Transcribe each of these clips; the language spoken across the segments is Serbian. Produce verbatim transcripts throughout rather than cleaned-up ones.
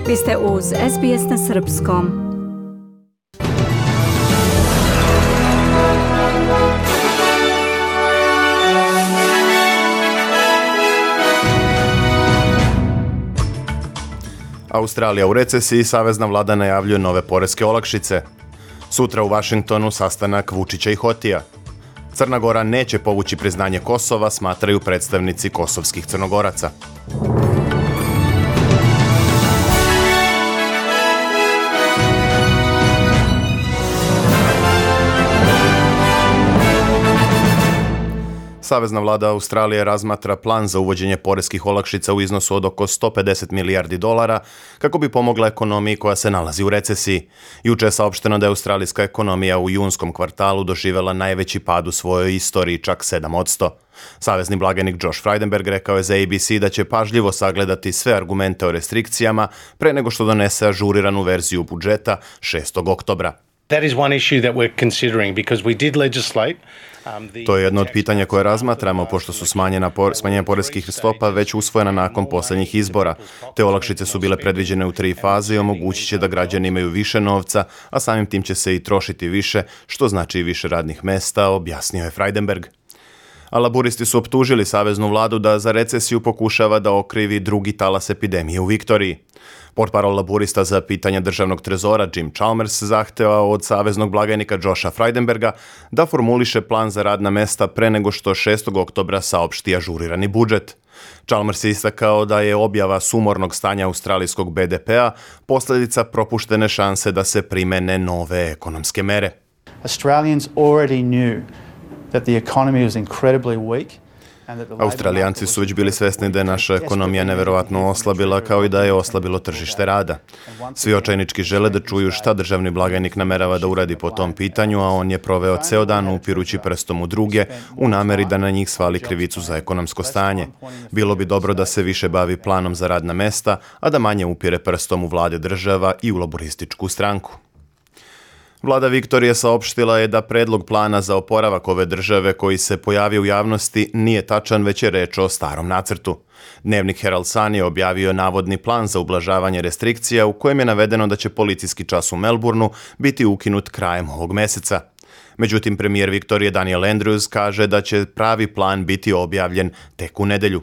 Vi ste uz S B S na srpskom. Australija u recesiji, savezna vlada najavljuje nove poreske olakšice. Sutra u Vašingtonu sastanak Vučića i Hotija. Crna Gora neće povući priznanje Kosova, smatraju predstavnici kosovskih Crnogoraca. Savezna vlada Australije razmatra plan za uvođenje poreskih olakšica u iznosu od oko sto pedeset milijardi dolara kako bi pomogla ekonomiji koja se nalazi u recesiji. Juče je saopšteno da je australijska ekonomija u junskom kvartalu doživjela najveći pad u svojoj istoriji, čak sedam posto. Savezni blagajnik Josh Frydenberg rekao je za A B C da će pažljivo sagledati sve argumente o restrikcijama pre nego što donese ažuriranu verziju budžeta šestog oktobra. That is one issue that we're considering because we did legislate. To je jedno od pitanja koje razmatramo, pošto su smanjena por, smanjenja poreskih stopa već usvojena nakon posljednjih izbora. Te olakšice su bile predviđene u tri faze i omogućit će da građani imaju više novca, a samim tim će se i trošiti više, što znači i više radnih mesta, objasnio je Frydenberg. A laburisti su optužili saveznu vladu da za recesiju pokušava da okrivi drugi talas epidemije u Viktoriji. Portparol laburista za pitanja državnog trezora Jim Chalmers zahtevao od saveznog blagajnika Josha Frydenberga da formuliše plan za radna mesta pre nego što šestog oktobra saopšti ažurirani budžet. Chalmers je istakao da je objava sumornog stanja australijskog B D P-a posljedica propuštene šanse da se primene nove ekonomske mere. Australians already knew that the economy was incredibly weak. Australijanci su već bili svesni da je naša ekonomija neverovatno oslabila, kao i da je oslabilo tržište rada. Svi očajnički žele da čuju šta državni blagajnik namerava da uradi po tom pitanju, a on je proveo ceo dan upirući prstom u druge u nameri da na njih svali krivicu za ekonomsko stanje. Bilo bi dobro da se više bavi planom za radna mesta, a da manje upire prstom u vlade država i u laborističku stranku. Vlada Viktorije saopštila je da predlog plana za oporavak ove države koji se pojavio u javnosti nije tačan, već je reč o starom nacrtu. Dnevnik Herald Sun je objavio navodni plan za ublažavanje restrikcija u kojem je navedeno da će policijski čas u Melbourneu biti ukinut krajem ovog meseca. Međutim, premijer Viktorije Daniel Andrews kaže da će pravi plan biti objavljen tek u nedelju.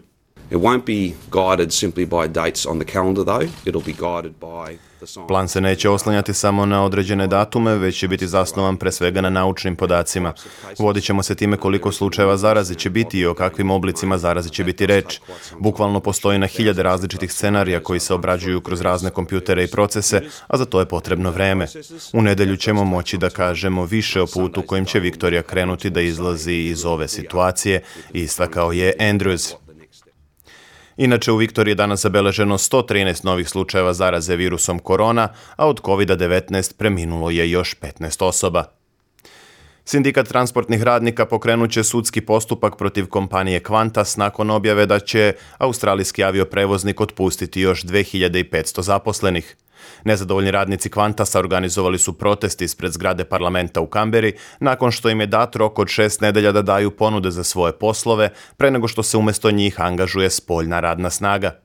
It won't be guided simply by dates on the calendar though. It'll be guided by the science. Plan se neće oslanjati samo na određene datume, već će biti zasnovan pre svega na naučnim podacima. Vodit ćemo se time koliko slučajeva zaraze će biti i o kakvim oblicima zaraze će biti reč. Bukvalno postoji na hiljade različitih scenarija koji se obrađuju kroz razne kompjutere i procese, a za to je potrebno vreme. U nedelju ćemo moći da kažemo više o putu kojim će Viktorija krenuti da izlazi iz ove situacije, istakao je Andrews. Inače, u Viktoriji je danas zabeleženo sto trinaest novih slučajeva zaraze virusom korona, a od kovid devetnaest preminulo je još petnaest osoba. Sindikat transportnih radnika pokrenut će sudski postupak protiv kompanije Qantas nakon objave da će australijski avioprevoznik otpustiti još dve hiljade petsto zaposlenih. Nezadovoljni radnici Qantasa organizovali su protest ispred zgrade parlamenta u Kamberi nakon što im je dat rok od šest nedelja da daju ponude za svoje poslove pre nego što se umjesto njih angažuje spoljna radna snaga.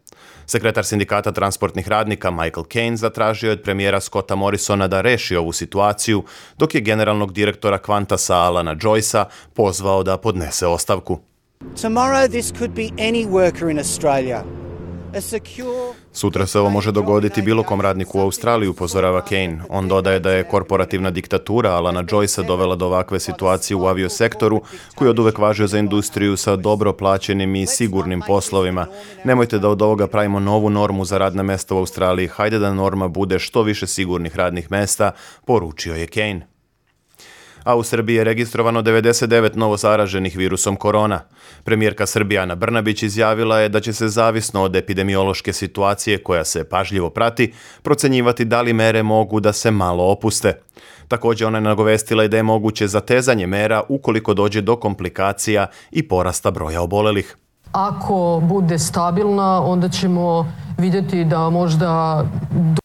Sekretar sindikata transportnih radnika Michael Caine zatražio je od premijera Scotta Morrisona da reši ovu situaciju, dok je generalnog direktora Qantasa Alana Joycea pozvao da podnese ostavku. Tomorrow this could be any worker in Australia. Sutra se ovo može dogoditi bilo kom radniku u Australiji, upozorava Caine. On dodaje da je korporativna diktatura Alana Joycea dovela do ovakve situacije u aviosektoru, koji je oduvek važio za industriju sa dobro plaćenim i sigurnim poslovima. Nemojte da od ovoga pravimo novu normu za radna mesta u Australiji. Hajde da norma bude što više sigurnih radnih mesta, poručio je Caine. A u Srbiji je registrovano devedeset devet novozaraženih virusom korona. Premijerka Srbije Ana Brnabić izjavila je da će se zavisno od epidemiološke situacije koja se pažljivo prati, procenjivati da li mere mogu da se malo opuste. Također ona je nagovestila i da je moguće zatezanje mera ukoliko dođe do komplikacija i porasta broja obolelih. Ako bude stabilna, onda ćemo vidjeti da možda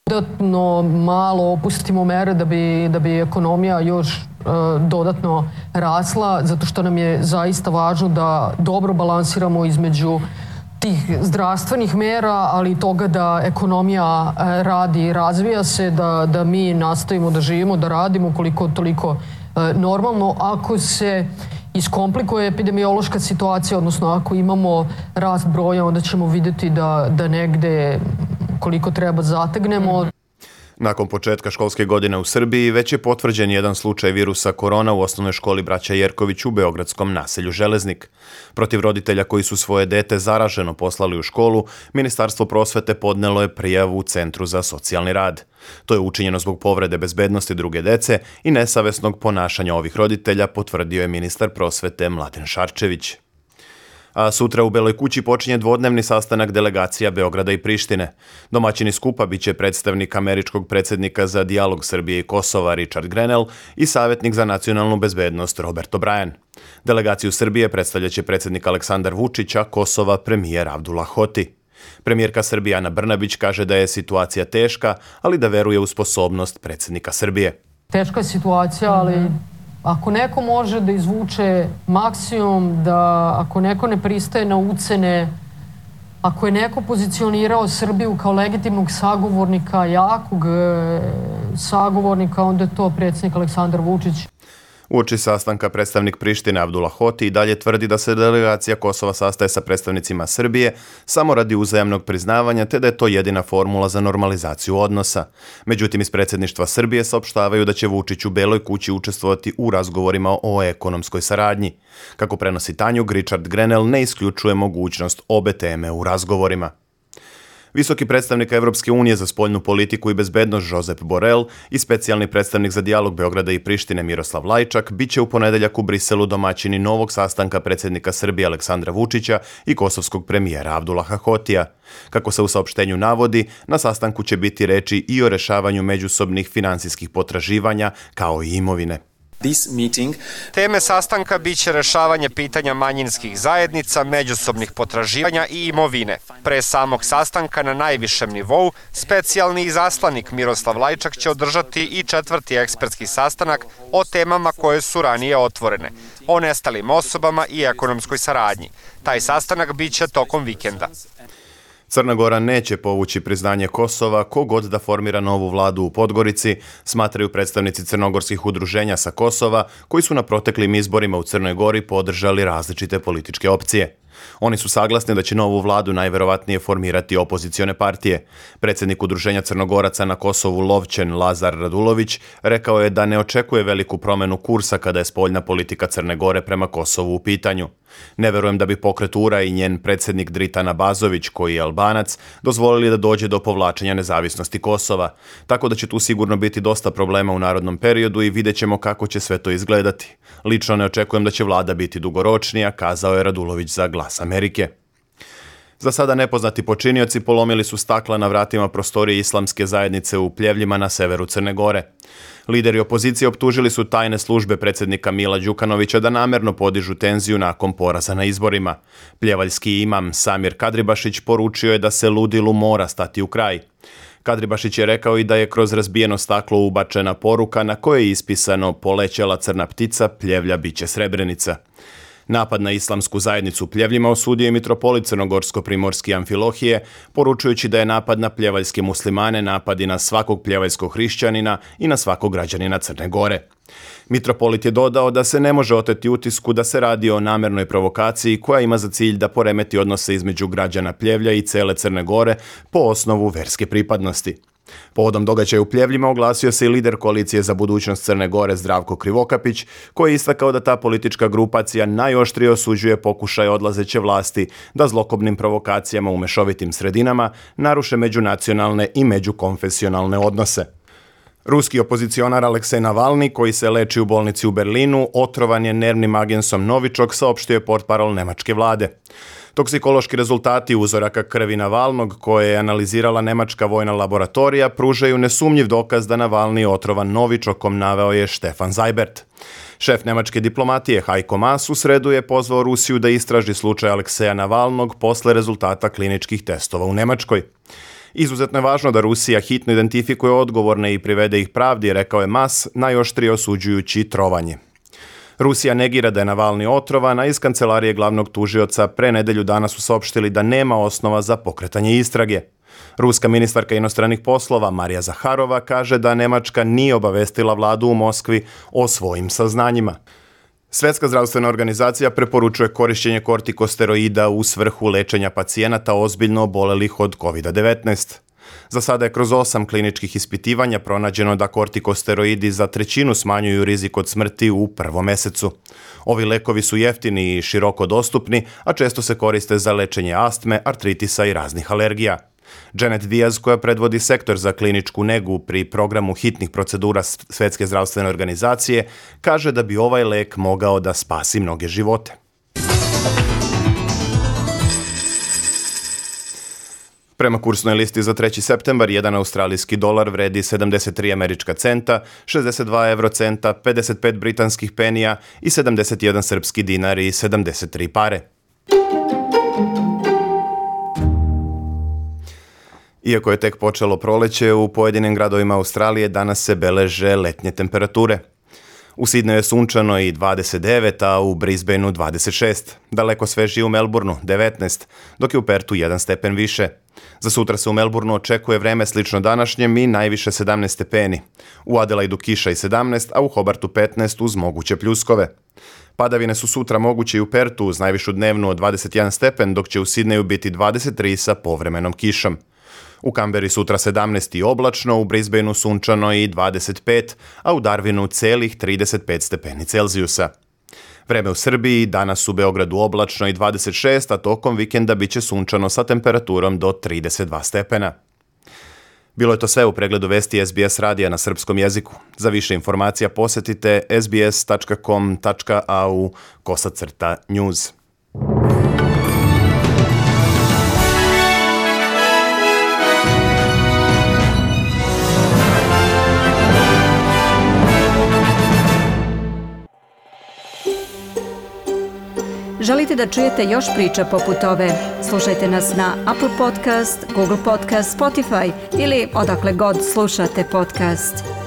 dodatno malo opustimo mere da bi, da bi ekonomija još dodatno rasla, zato što nam je zaista važno da dobro balansiramo između tih zdravstvenih mera, ali i toga da ekonomija e, radi i razvija se, da, da mi nastavimo da živimo, da radimo koliko toliko e, normalno. Ako se iskomplikuje epidemiološka situacija, odnosno ako imamo rast broja, onda ćemo vidjeti da, da negde koliko treba zategnemo. Nakon početka školske godine u Srbiji već je potvrđen jedan slučaj virusa korona u osnovnoj školi Braća Jerković u beogradskom naselju Železnik. Protiv roditelja koji su svoje dete zaraženo poslali u školu, Ministarstvo prosvete podnelo je prijavu u Centru za socijalni rad. To je učinjeno zbog povrede bezbednosti druge dece i nesavesnog ponašanja ovih roditelja, potvrdio je ministar prosvete Mladen Šarčević. A sutra u Beloj kući počinje dvodnevni sastanak delegacija Beograda i Prištine. Domaćini skupa biće predstavnik američkog predsjednika za dijalog Srbije i Kosova Richard Grenell i savjetnik za nacionalnu bezbednost Robert O'Brien. Delegaciju Srbije predstavljaće predsjednik Aleksandar Vučić, a Kosova premijer Abdullah Hoti. Premijerka Srbije Ana Brnabić kaže da je situacija teška, ali da veruje u sposobnost predsjednika Srbije. Teška je situacija, ali ako neko može da izvuče maksimum, da ako neko ne pristaje na ucene, ako je neko pozicionirao Srbiju kao legitimnog sagovornika, jakog sagovornika, onda je to predsjednik Aleksandar Vučić. Uoči sastanka predstavnik Prištine Abdullah Hoti i dalje tvrdi da se delegacija Kosova sastaje sa predstavnicima Srbije samo radi uzajamnog priznavanja, te da je to jedina formula za normalizaciju odnosa. Međutim, iz predsjedništva Srbije saopštavaju da će Vučić u Beloj kući učestvovati u razgovorima o ekonomskoj saradnji. Kako prenosi Tanjug, Richard Grenell ne isključuje mogućnost obe teme u razgovorima. Visoki predstavnik Evropske unije za spoljnu politiku i bezbednost Josep Borrell i specijalni predstavnik za dijalog Beograda i Prištine Miroslav Lajčak biće u ponedeljak u Briselu domaćini novog sastanka predsjednika Srbije Aleksandra Vučića i kosovskog premijera Abdullaha Hotija. Kako se u saopštenju navodi, na sastanku će biti reči i o rešavanju međusobnih finansijskih potraživanja kao i imovine. Teme sastanka biće rešavanje pitanja manjinskih zajednica, međusobnih potraživanja i imovine. Pre samog sastanka na najvišem nivou, specijalni izaslanik Miroslav Lajčak će održati i četvrti ekspertski sastanak o temama koje su ranije otvorene, o nestalim osobama i ekonomskoj saradnji. Taj sastanak biće tokom vikenda. Crna Gora neće povući priznanje Kosova kogod da formira novu vladu u Podgorici, smatraju predstavnici crnogorskih udruženja sa Kosova, koji su na proteklim izborima u Crnoj Gori podržali različite političke opcije. Oni su saglasni da će novu vladu najverovatnije formirati opozicione partije. Predsjednik udruženja Crnogoraca na Kosovu Lovćen Lazar Radulović rekao je da ne očekuje veliku promenu kursa kada je spoljna politika Crne Gore prema Kosovu u pitanju. Ne verujem da bi pokret U R A i njen predsjednik Dritan Abazović, koji je Albanac, dozvolili da dođe do povlačenja nezavisnosti Kosova. Tako da će tu sigurno biti dosta problema u narodnom periodu i vidjet ćemo kako će sve to izgledati. Lično ne očekujem da će vlada biti dugoročnija, kazao je Radulović za Glas Amerike. Za sada nepoznati počinioci polomili su stakla na vratima prostorije islamske zajednice u Pljevljima na severu Crne Gore. Lideri opozicije optužili su tajne službe predsjednika Mila Đukanovića da namerno podižu tenziju nakon poraza na izborima. Pljevaljski imam Samir Kadribašić poručio je da se ludilu mora stati u kraj. Kadribašić je rekao i da je kroz razbijeno staklo ubačena poruka na kojoj je ispisano "Polećela crna ptica, Pljevlja biće Srebrenica". Napad na islamsku zajednicu u Pljevljima osudio je mitropolit crnogorsko-primorski Amfilohije, poručujući da je napad na pljevaljske muslimane napad i na svakog pljevaljskog hrišćanina i na svakog građanina Crne Gore. Mitropolit je dodao da se ne može oteti utisku da se radi o namernoj provokaciji koja ima za cilj da poremeti odnose između građana Pljevlja i cele Crne Gore po osnovu verske pripadnosti. Povodom događaja u Pljevljima oglasio se i lider koalicije za budućnost Crne Gore Zdravko Krivokapić, koji je istakao da ta politička grupacija najoštrije osuđuje pokušaj odlazeće vlasti da zlokobnim provokacijama u mešovitim sredinama naruše međunacionalne i međukonfesionalne odnose. Ruski opozicionar Aleksej Navalni, koji se leči u bolnici u Berlinu, otrovan je nervnim agensom Novičok, saopštio je portparol nemačke vlade. Toksikološki rezultati uzoraka krvi Navalnog, koje je analizirala nemačka vojna laboratorija, pružaju nesumnjiv dokaz da Navalni je otrovan Novičokom, naveo je Stefan Seibert. Šef nemačke diplomatije Heiko Maas u sredu je pozvao Rusiju da istraži slučaj Alekseja Navalnog posle rezultata kliničkih testova u Nemačkoj. Izuzetno je važno da Rusija hitno identifikuje odgovorne i privede ih pravdi, rekao je Maas, najoštrije osuđujući trovanje. Rusija negira da je Navalni otrovan, a iz kancelarije glavnog tužioca pre nedelju dana su saopštili da nema osnova za pokretanje istrage. Ruska ministarka inostranih poslova Marija Zaharova kaže da Nemačka nije obavestila vladu u Moskvi o svojim saznanjima. Svetska zdravstvena organizacija preporučuje korišćenje kortikosteroida u svrhu lečenja pacijenata ozbiljno obolelih od kovid devetnaest. Za sada je kroz osam kliničkih ispitivanja pronađeno da kortikosteroidi za trećinu smanjuju rizik od smrti u prvom mesecu. Ovi lekovi su jeftini i široko dostupni, a često se koriste za lečenje astme, artritisa i raznih alergija. Janet Diaz, koja predvodi sektor za kliničku negu pri programu hitnih procedura Svetske zdravstvene organizacije, kaže da bi ovaj lek mogao da spasi mnoge živote. Prema kursnoj listi za treći septembar, jedan australijski dolar vredi sedamdeset tri američka centa, šezdeset dva evrocenta, pedeset pet britanskih penija i sedamdeset jedan srpski dinar i sedamdeset tri pare. Iako je tek počelo proleće, u pojedinim gradovima Australije danas se beleže letnje temperature. U Sidneju je sunčano i dvadeset devet, a u Brisbaneu dvadeset šest. Daleko svežije u Melbourneu devetnaest, dok je u Pertu jedan stepen više. Za sutra se u Melbourneu očekuje vreme slično današnjem i najviše sedamnaest stepeni. U Adelaidu kiša i sedamnaest, a u Hobartu petnaest uz moguće pljuskove. Padavine su sutra moguće i u Pertu uz najvišu dnevnu od dvadeset jedan stepen, dok će u Sidneju biti dvadeset tri sa povremenom kišom. U Kamberi sutra sedamnaest i oblačno, u Brisbaneu sunčano i dvadeset pet, a u Darwinu celih trideset pet stepeni Celzijusa. Vreme u Srbiji, danas u Beogradu oblačno i dvadeset šest, a tokom vikenda biće sunčano sa temperaturom do trideset dva stepena. Bilo je to sve u pregledu vesti S B S radija na srpskom jeziku. Za više informacija posetite s b s tačka com tačka a u kosacrta news. Želite da čujete još priča poput ove? Slušajte nas na Apple Podcast, Google Podcast, Spotify ili odakle god slušate podcast.